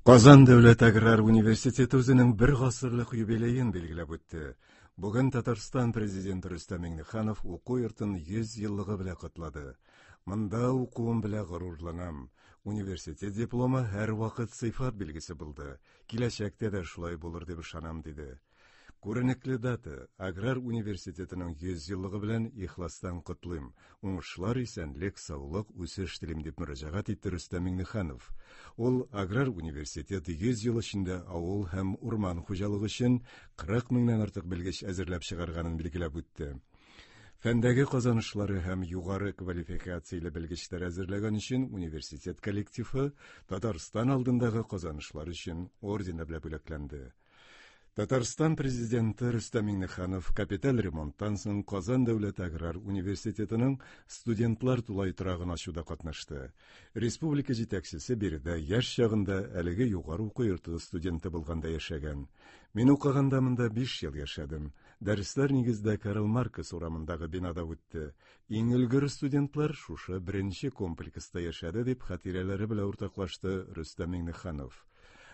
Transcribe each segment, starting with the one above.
Казан дәүләт аграр университеты үзенең бер гасырлык юбилеен билгеләп үтте. Бүген Татарстан президенты Рөстәм Миңнеханов уку йортын 100 еллыгы белән котлады. Монда укуым белән горурланам. Университет дипломы һәрвакыт сыйфат билгесе булды. Киләчәктә дә шулай булыр дип ышанам, диде. Күренекле дата, Аграр университетының 100 еллыгы белән ихластан котлыйм. Уңышлар, исәнлек, саулык, үсеш телим, дип мөрәҗәгать итте Рөстәм Миңнеханов. Ул Аграр университет 100 ел эчендә авыл һәм урман хуҗалыгы өчен 40 меңнән артык белгеч әзерләп чыгарганын билгеләп үтте. Фәндәге казанышлары һәм югары квалификацияле белгечләр әзерләгән өчен университет коллективы Татарстан алдындагы казанышлар өчен ордены белән бүләкләнде. Татарстан Президенты Рөстәм Миңнеханов капиталь ремонттан соң Казан дәүләт аграр университетының студентлар тулай торагын ачуда катнашты. Республика җитәкчесе биредә яшь чагында әлеге югары уку йорты студенты булганда яшәгән. Мин укыганда монда 5 ел яшәдем. Дәресләр нигездә Карл Маркс урамындагы бинада үтте. Иң өлгер студентлар шушы беренче комплекста яшәде, дип хатирәләре белән уртаклашты Рөстәм Миңнеханов.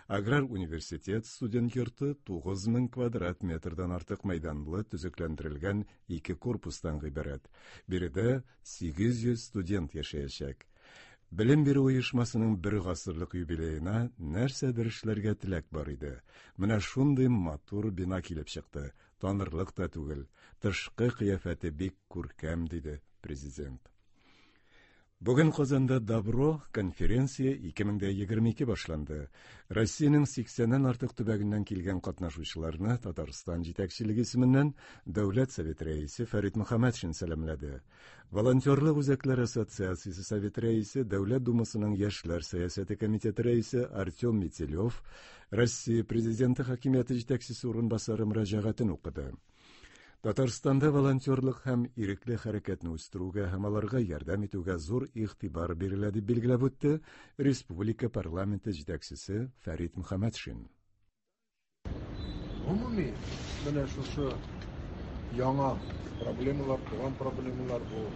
Аграр университет студент йорты 9000 квадрат метрдан артык мәйданлы төзекләндерелгән ике корпустан гыйбарәт. Биредә 800 студент яшәячәк. Белем бирү оешмасының бер гасырлык юбилеена нәрсәдер эшләргә теләк бар иде. Менә шундый матур бина килеп чыкты. Танырлык та түгел. Тышкы кыяфәте бик күркәм, диде президент. Бүген Казанда Добро конференция 2022 башланды. Россиянең 80-нән артык төбәгеннән килгән катнашучыларны Татарстан җитәкчелеге исеменнән Дәүләт Советы рәисе Фәрит Мөхәммәтшин сәламләде. Волонтерлык үзәкләре ассоциациясе Советы рәисе, Дәүләт Думасының яшьләр сәясәте комитеты рәисе Артем Метелев Россия Президенты хакимияте җитәкчесе урынбасары мөрәҗәгатен укыды. Татарстанда волонтерлык һәм ирекле хәрәкәтне үстерүгә һәм аларга ярдәм итүгә зур игътибар бирелә, дип билгеләп үтте республика парламенты җитәкчесе Фәрит Мөхәммәтшин. Гомуми, менә шушы яңа проблемалар, туган проблемалар бу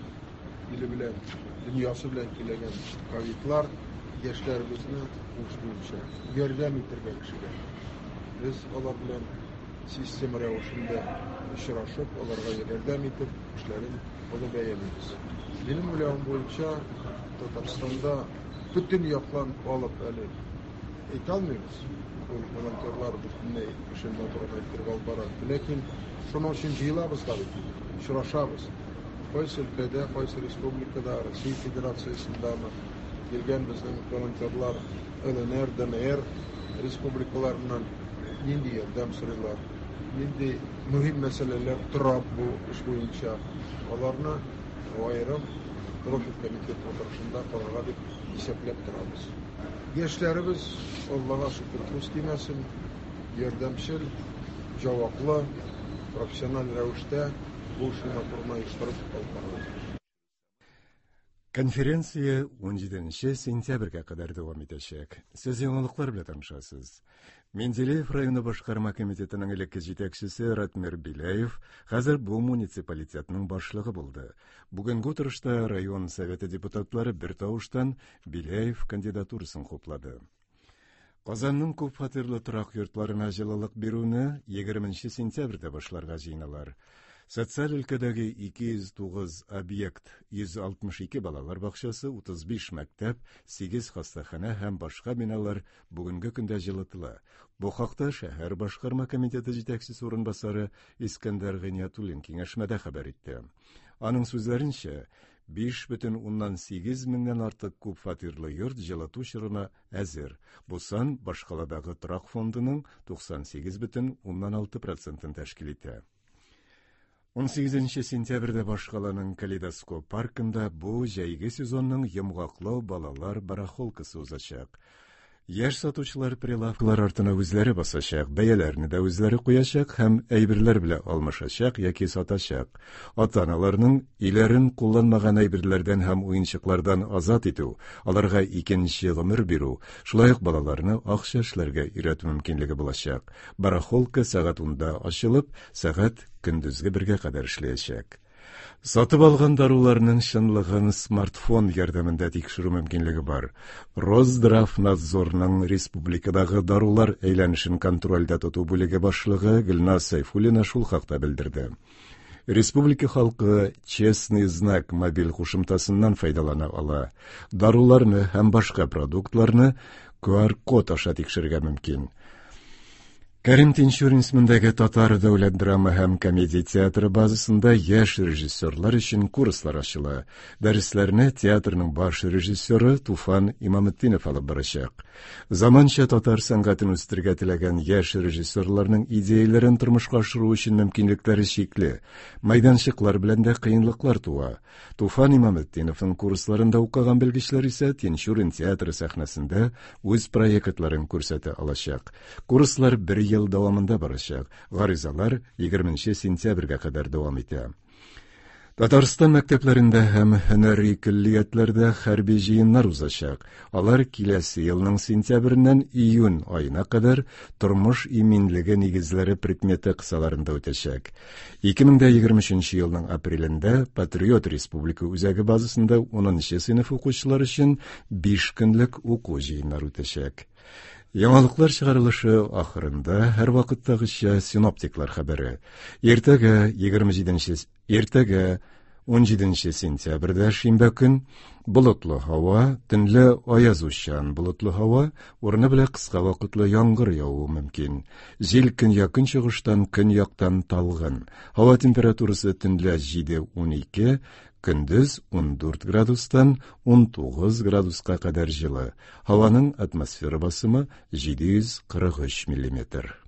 иле белән, дөньясы белән килгән ковидлар яшьләребезне уңыш буенча ярдәм итәргә кешегә. Без алар белән Система рәвешендә очрашып, аларга ярдәм итеп, эшләрен олы бәялибез. Минем уйлавым буенча, Татарстанда бөтен яклан алып әле әйтә алмыйбыз. Ул волонтерлар бөтенләй эшен матуррак иттереп алып бара. Ләкин шуның өчен җыелабыз да бит инде, очрашабыз. Кайсы өлкәдә, кайсы республикада, Россия Федерациясендәме килгән безнең волонтерлар ЛНР, ДНР республикаларыннан нинди ярдәм сорыйлар, нинди мөһим мәсьәләләр тора бу эш буенча, аларны аерым профиль комитет утырышында карарга дип исәпләп торабыз. Яшьләребез, Аллага шөкер, күз тимәсен, ярдәмчел, җаваплы, профессиональ рәвештә бу эшне матур гына оештырып алып баралар. Конференция 17 сентябрьгә кадәр дәвам итәчәк. Сез яңалыклар белән танышасыз. Менделеев районы башкарма комитетының элекке җитәкчесе Ратмир Беляев хәзер бу муниципалитетның башлыгы булды. Бүгенге утырышта район советы депутатлары бер тавыштан Беляев кандидатурасын хуплады. Казанның күпфатирлы торак йортларына җылылык бирүне 20 сентябрьдә башларга җыеналар. Социаль өлкәдәге 209 объект, 162 балалар бакчасы, 35 мәктәп, 8 хастаханә һәм башка биналар бүгенге көндә җылытыла. Бу хакта шәһәр башкарма комитеты җитәкчесе урынбасары Искәндәр Гыйниятуллин киңәшмәдә хәбәр итте. Аның сүзләренчә, 5,8 меңнән артык күп фатирлы йорт җылыту чорына әзер. Бу сан башкаладагы торак фондының 98,6 процентын тәшкил итә. 18 сентябрьдә башкаланың Калейдоскоп паркында бу җәйге сезонның йомгаклау балалар барахолкасы узачак. Яшь сатучылар прилавкалар артына үзләре басачак, бәяләрне дә үзләре куячак һәм әйберләр белән алмашачак яки сатачак. Ата-аналарның өйләрен кулланмаган әйберләрдән һәм уенчыклардан азат итү, аларга икенче гомер бирү, шулай ук балаларны акча эшләргә өйрәтү мөмкинлеге булачак. Барахолка сәгать унда ачылып, сәгать көндезге бергә кадәр эшләячәк. Сатып алган даруларның чынлыгын смартфон ярдәмендә тикшерү мөмкинлеге бар. Росздравнадзорның республикадагы дарулар әйләнешен контрольдә тоту бүлеге башлыгы Гөлназ Сәйфуллина шул хакта белдерде. Республика халкы «Честный знак» мобиль кушымтасыннан файдалана ала. Даруларны һәм башка продуктларны QR-код аша тикшерергә мөмкин. Кәрим Тинчурин исемендәге Татар дәүләт драма һәм комедия театры базасында яшь режиссерлар өчен курслар ачыла. Дәресләрне театрның баш режиссеры Туфан Имаметдинов алып барачак. Заманча татар сәнгатен үстерергә теләгән яшь режиссерларның идеяләрен тормышка ашыру өчен мөмкинлекләре чикле. Мәйданчыклар белән дә кыенлыклар туа. Туфан Имаметдиновның курсларында укыган белгечләр исә Тинчурин театры сәхнәсендә үз проектларын күрсәтә алачак. Курслар бер ел дәвамында барачак. Гаризалар 20 сентябрьгә кадәр дәвам итә. Татарстан мәктәпләрендә һәм һөнәри көллиятләрдә хәрби җыеннар узачак. Алар киләсе елның сентябреннән июнь аена кадәр тормыш иминлеге нигезләре предметы кысаларында үтәчәк. 2023 елның апрелендә Патриот республика үзәге базасында 10 сыйныф укучылар өчен 5 көнлек уку җыеннары үтәчәк. Яңалыклар чыгарылышы ахырында һәрвакыттагыча синоптиклар хәбәре. Иртәгә 27 иртәгә 17 сентябрьдә шимбә көн болытлы һава, төнлә аязучан болытлы һава, урыны белән кыска вакытлы яңгыр явуы мөмкин. Җил көньяк-көнчыгыштан көньяктан талгын. Һава температурасы төнлә 7-12, көндез 14 градустан 19 градуска кадәр җылы. Һаваның атмосфера басымы 743 миллиметр.